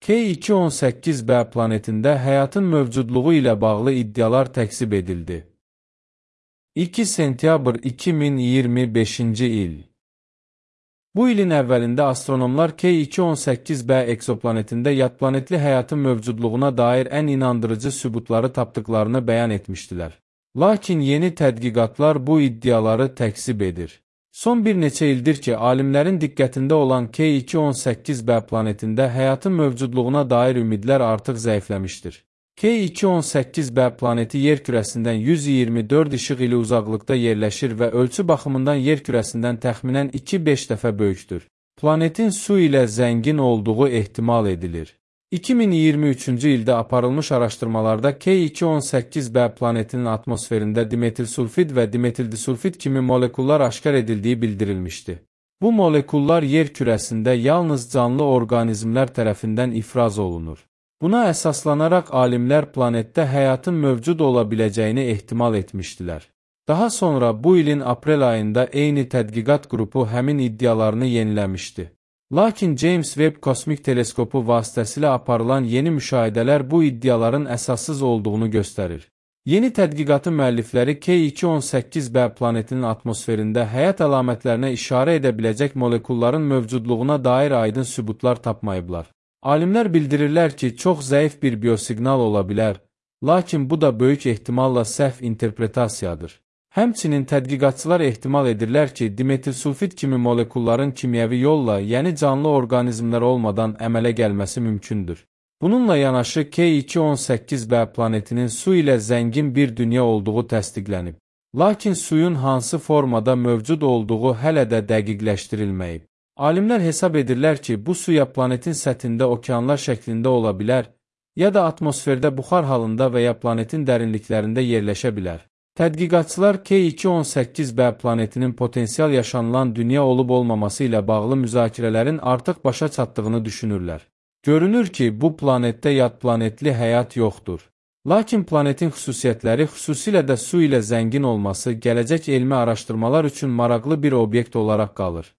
K2-18b planetində həyatın mövcudluğu ilə bağlı iddialar təkzib edildi. 2 sentyabr 2025-ci il. Bu ilin əvvəlində astronomlar K2-18b eksoplanetində yadplanetli həyatın mövcudluğuna dair ən inandırıcı sübutları tapdıqlarını bəyan etmişdilər. Lakin yeni tədqiqatlar bu iddiaları təkzib edir. Son bir neçə ildir ki, alimlərin diqqətində olan K2-18b planetində həyatın mövcudluğuna dair ümidlər artıq zəifləmişdir. K2-18b planeti yer kürəsindən 124 işıq ili uzaqlıqda yerləşir və ölçü baxımından yer kürəsindən təxminən 2-5 dəfə böyükdür. Planetin su ilə zəngin olduğu ehtimal edilir. 2023-cü ildə aparılmış araşdırmalarda K2-18b planetinin atmosferində dimetilsulfid və dimetildisulfid kimi molekullar aşkar edildiyi bildirilmişdi. Bu molekullar yer kürəsində yalnız canlı orqanizmlər tərəfindən ifraz olunur. Buna əsaslanaraq alimlər planetdə həyatın mövcud ola biləcəyini ehtimal etmişdilər. Daha sonra bu ilin aprel ayında eyni tədqiqat qrupu həmin iddialarını yeniləmişdi. Lakin James Webb kosmik teleskopu vasitəsilə aparılan yeni müşahidələr bu iddiaların əsassız olduğunu göstərir. Yeni tədqiqatın müəllifləri K2-18b planetinin atmosferində həyat əlamətlərinə işarə edə biləcək molekulların mövcudluğuna dair aydın sübutlar tapmayıblar. Alimlər bildirirlər ki, çox zəif bir biosiqnal ola bilər, lakin bu da böyük ehtimalla səhv interpretasiyadır. Həmçinin tədqiqatçılar ehtimal edirlər ki, dimetilsulfid kimi molekulların kimyəvi yolla, yəni canlı orqanizmlər olmadan əmələ gəlməsi mümkündür. Bununla yanaşı K2-18b planetinin su ilə zəngin bir dünya olduğu təsdiqlənib. Lakin suyun hansı formada mövcud olduğu hələ də dəqiqləşdirilməyib. Alimlər hesab edirlər ki, bu suya planetin səthində okeanlar şəklində ola bilər, ya da atmosferdə buxar halında və ya planetin dərinliklərində yerləşə bilər. Tədqiqatçılar K2-18b planetinin potensial yaşanılan dünya olub-olmaması ilə bağlı müzakirələrin artıq başa çatdığını düşünürlər. Görünür ki, bu planetdə yadplanetli həyat yoxdur. Lakin planetin xüsusiyyətləri, xüsusilə də su ilə zəngin olması gələcək elmi araşdırmalar üçün maraqlı bir obyekt olaraq qalır.